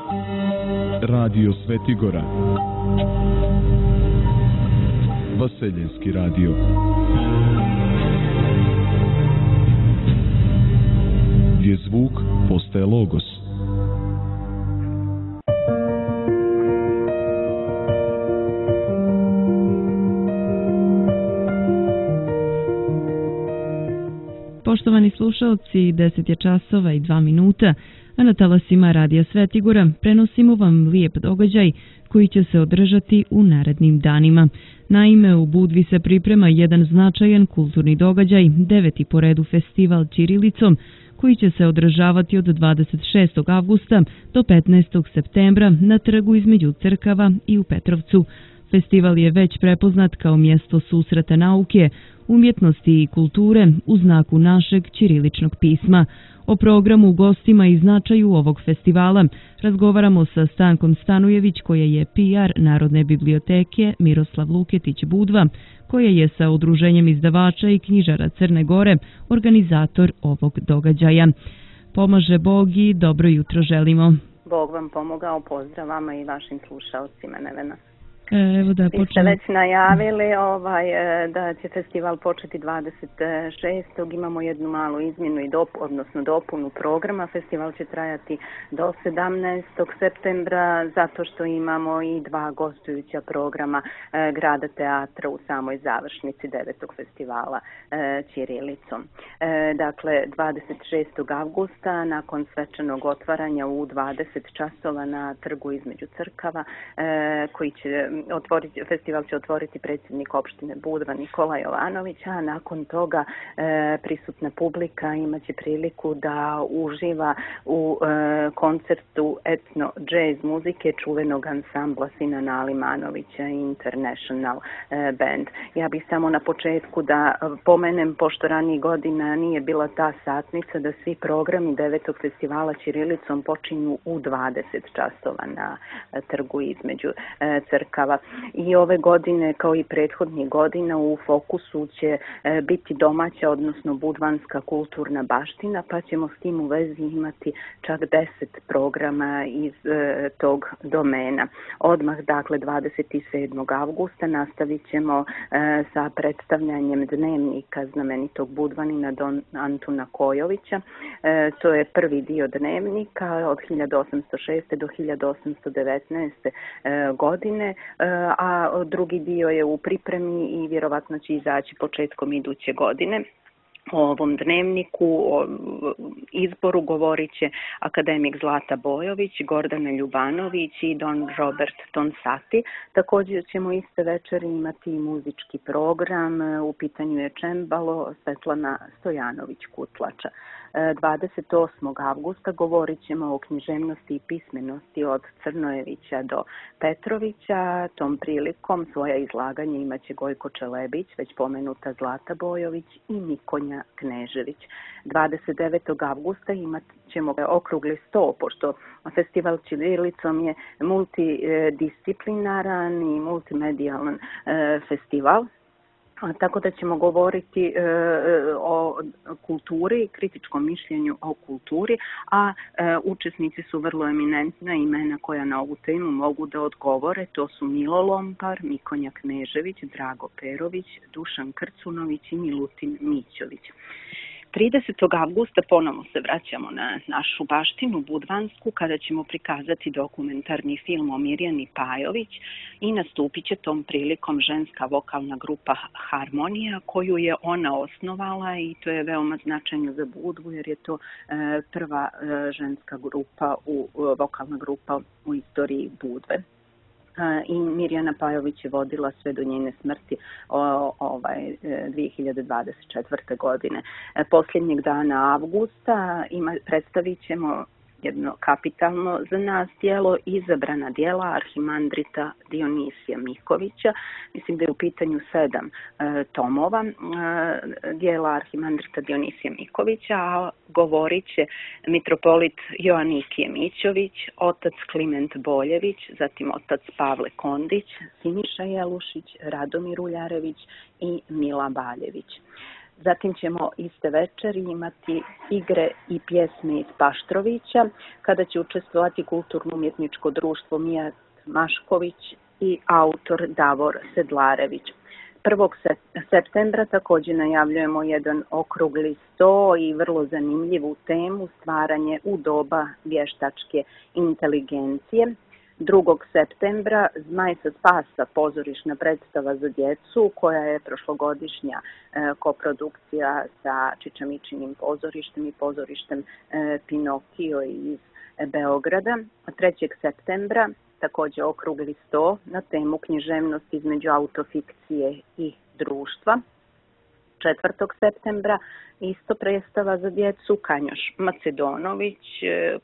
Radio Svetigora, Vaseljenski radio. Gdje zvuk postaje logos. Poštovani slušalci, 10 je časova i 2 minuta, a na talasima Radija Svetigora prenosimo vam lijep događaj koji će se održati u narednim danima. Naime, u Budvi se priprema jedan značajan kulturni događaj, 9. po redu festival Ćirilicom, koji će se održavati od 26. avgusta do 15. septembra na trgu između crkava i u Petrovcu. Festival je već prepoznat kao mjesto susreta nauke, umjetnosti i kulture u znaku našeg ćiriličnog pisma. O programu, gostima i značaju ovog festivala razgovaramo sa Stankom Stanujević, koja je PR Narodne biblioteke Miroslav Luketić Budva, koja je sa Udruženjem izdavača i knjižara Crne Gore organizator ovog događaja. Pomaže Bog i dobro jutro želimo. Bog vam pomogao, pozdrav vama i vašim slušalcima, Nevena. Evo da Vi ste već najavili da će festival početi 26. Imamo jednu malu izmjenu i dopunu programa. Festival će trajati do 17. septembra zato što imamo i 2 gostujuća programa Grada teatra u samoj završnici 9. festivala Ćirilicom. Dakle, 26. avgusta nakon svečanog otvaranja u 20 časova na trgu između crkava koji će festival će otvoriti predsjednik opštine Budva Nikola Jovanović, a nakon toga prisutna publika imaće priliku da uživa u koncertu etno jazz muzike čuvenog ansambla Sinana Alimanovića International Band. Ja bih samo na početku da pomenem, pošto ranije godina nije bila ta satnica, da svi programi 9. festivala Ćirilicom počinju u 20 časova na trgu između crkava. I ove godine, kao i prethodnih godina, u fokusu će biti domaća, odnosno budvanska kulturna baština, pa ćemo s tim u vezi imati čak 10 programa iz tog domena. Odmah, dakle, 27. avgusta nastavit ćemo sa predstavljanjem dnevnika znamenitog budvanina Don Antuna Kojovića. To je prvi dio dnevnika od 1806. do 1819. godine, a drugi dio je u pripremi i vjerovatno će izaći početkom iduće godine. O ovom dnevniku, o izboru govorit će akademik Zlata Bojović, Gordana Ljubanović i Don Robert Tonsati. Također ćemo iste večeri imati i muzički program, u pitanju je čembalo Svetlana Stojanović-Kutlača. 28. avgusta govorit ćemo o književnosti i pismenosti od Crnojevića do Petrovića. Tom prilikom svoja izlaganja imaće Gojko Čelebić, već pomenuta Zlata Bojović i Mikonja Knežević. 29. avgusta imat ćemo okrugli sto, pošto festival Ćirilicom je multidisciplinaran i multimedijalan festival. Tako da ćemo govoriti o kulturi, kritičkom mišljenju o kulturi, a učesnici su vrlo eminentna imena koja na ovu temu mogu da odgovore. To su Milo Lompar, Mikonja Knežević, Drago Perović, Dušan Krcunović i Milutin Mićović. 30. avgusta ponovno se vraćamo na našu baštinu budvansku, kada ćemo prikazati dokumentarni film o Mirjani Pajović i nastupit će tom prilikom ženska vokalna grupa Harmonija, koju je ona osnovala, i to je veoma značajno za Budvu jer je to prva ženska grupa, vokalna grupa u istoriji Budve. I Mirjana Pajović je vodila sve do njene smrti 2024. godine. Posljednjeg dana avgusta predstavit ćemo jedno kapitalno za nas djelo, izabrana djela Arhimandrita Dionisija Mikovića. Mislim da je u pitanju 7 tomova djela Arhimandrita Dionisija Mikovića, a govorit će mitropolit Joanikije Mićović, otac Kliment Boljević, zatim otac Pavle Kondić, Siniša Jelušić, Radomir Uljarević i Mila Baljević. Zatim ćemo iste večeri imati igre i pjesme iz Paštrovića, kada će učestvovati Kulturno-umjetničko društvo Mijat Mašković i autor Davor Sedlarević. 1. septembra također najavljujemo jedan okrugli sto i vrlo zanimljivu temu stvaranje u doba vještačke inteligencije. 2. septembra Zmaj sa spasa, pozorišna predstava za djecu koja je prošlogodišnja koprodukcija sa Čičamičinim pozorištem i pozorištem Pinokio iz Beograda. 3. septembra također okrugli sto na temu književnost između autofikcije i društva. 4. septembra isto predstava za djecu Kanjoš Macedonović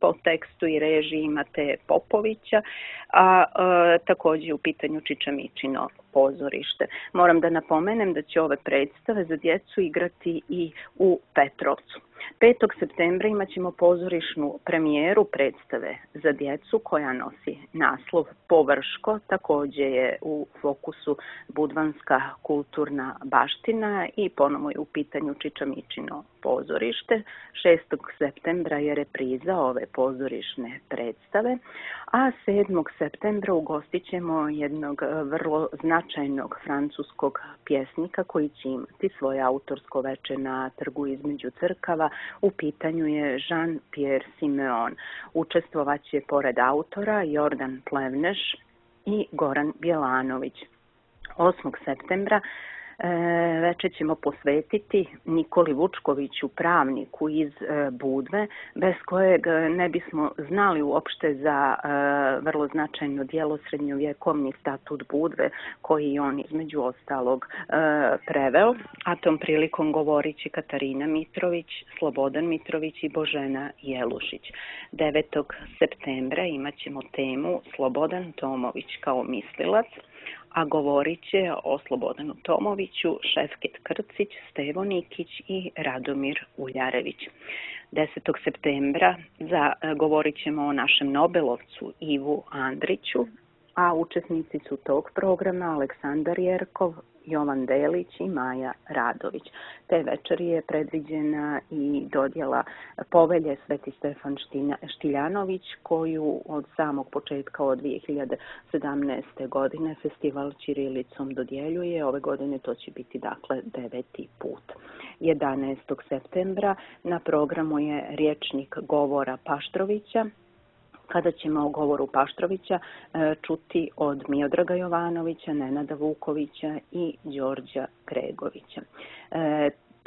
po tekstu i režiji Mateje Popovića, a također u pitanju Čičamičino pozorište. Moram da napomenem da će ove predstave za djecu igrati i u Petrovcu. 5. septembra imat ćemo pozorišnu premijeru predstave za djecu koja nosi naslov Površko. Također je u fokusu budvanska kulturna baština i ponovno je u pitanju Čičamičino pozorište. 6. septembra je repriza ove pozorišne predstave, a 7. septembra ugostit ćemo jednog vrlo značajnog francuskog pjesnika koji će imati svoje autorsko veče na trgu između crkava. U pitanju je Jean-Pierre Simeon. Učestvovaće pored autora Jordan Plevneš i Goran Bjelanović. 8. septembra večer ćemo posvetiti Nikoli Vučkoviću, pravniku iz Budve, bez kojeg ne bismo znali uopšte za vrlo značajno djelo Srednjovjekovni statut Budve, koji on između ostalog preveo, a tom prilikom govorit će Katarina Mitrović, Slobodan Mitrović i Božena Jelušić. 9. septembra imat ćemo temu Slobodan Tomović kao mislilac, a govorit će o Slobodanu Tomoviću Šefket Krcić, Stevo Nikić i Radomir Uljarević. 10. septembra govorit ćemo o našem Nobelovcu Ivu Andriću, a učesnici su tog programa Aleksandar Jerkov, Jovan Delić i Maja Radović. Te večeri je predviđena i dodjela povelje Sveti Stefan Štiljanović, koju od samog početka od 2017. godine festival Ćirilicom dodjeljuje. Ove godine to će biti dakle 9. put. 11. septembra na programu je rječnik govora Paštrovića, kada ćemo o govoru Paštrovića čuti od Miodraga Jovanovića, Nenada Vukovića i Đorđa Gregovića.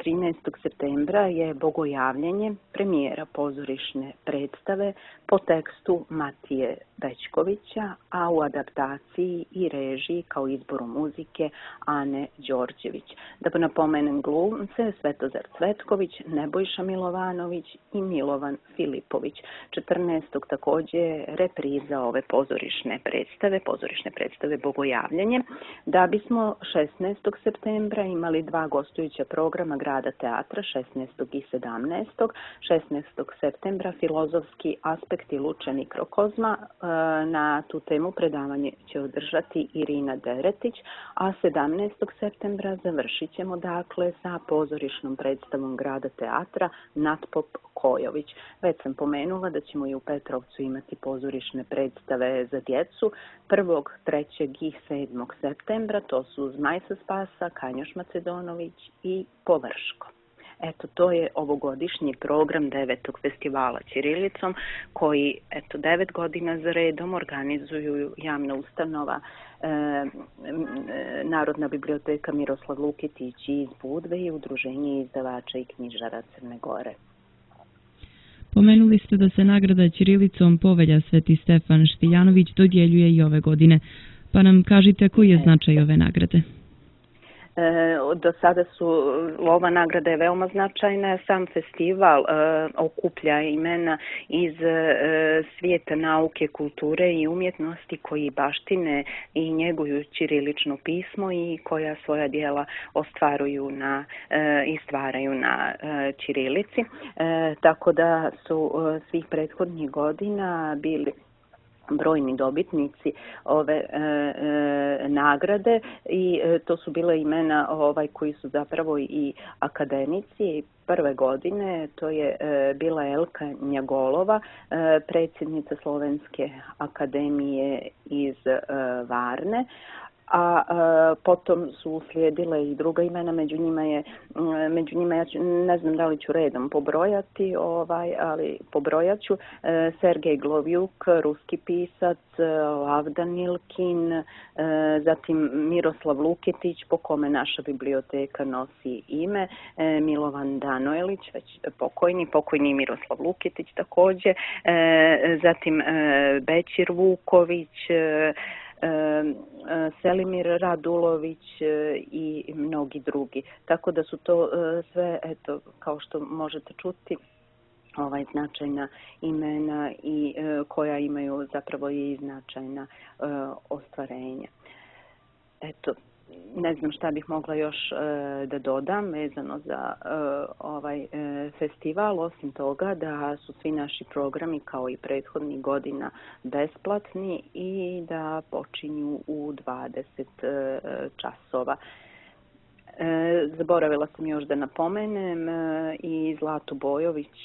13. septembra je Bogojavljenje, premijera pozorišne predstave po tekstu Matije Bećkovića, a u adaptaciji i režiji kao izboru muzike Ane Đorđević. Da napomenem glumce Svetozar Cvetković, Nebojša Milovanović i Milovan Filipović. 14. također repriza ove pozorišne predstave Bogojavljenje. Da bismo 16. septembra imali dva gostujuća programa Grada teatra 16. i 17. 16. septembra filozofski aspekti Luče mikrokozma. Na tu temu predavanje će održati Irina Deretić, a 17. septembra završit ćemo dakle sa pozorišnom predstavom Grada teatra Natpop Kojović. Već sam pomenula da ćemo i u Petrovcu imati pozorišne predstave za djecu 1., 3. i 7. septembra. To su Zmaj sa spasa, Kanjoš Macedonović i Površko. Eto, to je ovogodišnji program 9. festivala Ćirilicom, koji 9 godina za redom organizuju javna ustanova Narodna biblioteka Miroslav Luketić iz Budve i Udruženje izdavača i knjižara Crne Gore. Pomenuli ste da se nagrada Ćirilicom povelja Sveti Stefan Štiljanović dodjeljuje i ove godine. Pa nam kažite koji je značaj ove nagrade? Do sada ova nagrada je veoma značajna. Sam festival okuplja imena iz svijeta nauke, kulture i umjetnosti koji baštine i njeguju ćirilično pismo i koja svoja djela ostvaruju i stvaraju na ćirilici. Tako da su svih prethodnih godina bili brojni dobitnici ove nagrade i to su bile imena koji su zapravo i akademici. Prve godine to je bila Elka Njagolova, predsjednica Slovenske akademije iz Varne, a potom su uslijedile i druga imena, među njima ja ne znam da li ću redom pobrojati, ali pobrojat ću Sergej Glovjuk, ruski pisac, Avdan Ilkin, zatim Miroslav Luketić, po kome naša biblioteka nosi ime, Milovan Danojlić, već pokojni Miroslav Luketić također, zatim Bećir Vuković, Selimir Radulović i mnogi drugi. Tako da su to sve, eto, kao što možete čuti, značajna imena i koja imaju zapravo i značajna ostvarenja. Eto, ne znam šta bih mogla još da dodam vezano za ovaj festival, osim toga da su svi naši programi kao i prethodnih godina besplatni i da počinju u 20 časova. Zaboravila sam još da napomenem i Zlatu Bojović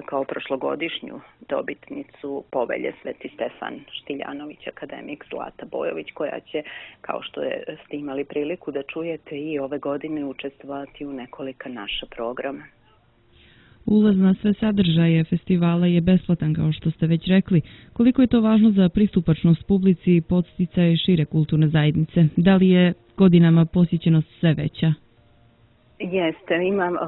kao prošlogodišnju dobitnicu povelje Sveti Stefan Štiljanović, akademik Zlata Bojović, koja će, kao što ste imali priliku da čujete, i ove godine učestvovati u nekolika naša programa. Ulaz na sve sadržaje festivala je besplatan, kao što ste već rekli. Koliko je to važno za pristupačnost publici i podsticaje šire kulturne zajednice? Da li je godinama posjećenost sve veća? Jeste,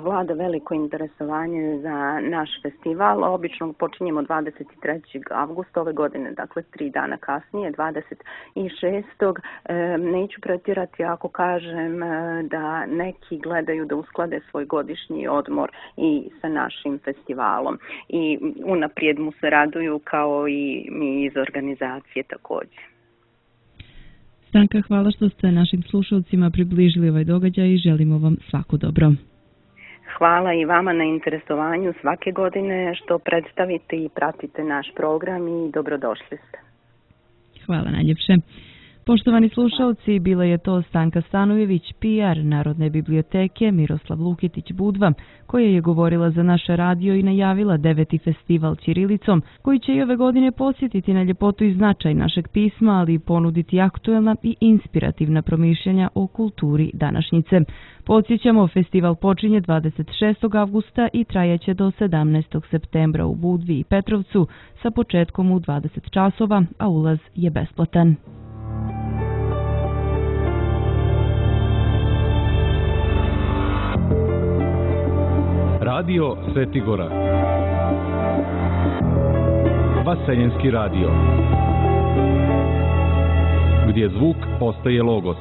vlada veliko interesovanje za naš festival. Obično počinjemo 23. avgusta ove godine, dakle 3 dana kasnije, 26. Neću pretjerati ako kažem da neki gledaju da usklade svoj godišnji odmor i sa našim festivalom. I unaprijed mu se raduju, kao i mi iz organizacije također. Stanka, hvala što ste našim slušalcima približili ovaj događaj i želimo vam svako dobro. Hvala i vama na interesovanju svake godine što predstavite i pratite naš program i dobrodošli ste. Hvala najljepše. Poštovani slušalci, bila je to Stanka Stanojević, PR Narodne biblioteke Miroslav Luketić Budva, koja je govorila za naš radio i najavila 9. festival ćirilicom, koji će i ove godine posjetiti na ljepotu i značaj našeg pisma, ali i ponuditi aktuelna i inspirativna promišljanja o kulturi današnjice. Podsjećamo, festival počinje 26. avgusta i trajaće do 17. septembra u Budvi i Petrovcu sa početkom u 20 časova, a ulaz je besplatan. Radio Svetigora. Vaseljenski radio. Gdje zvuk postaje logos.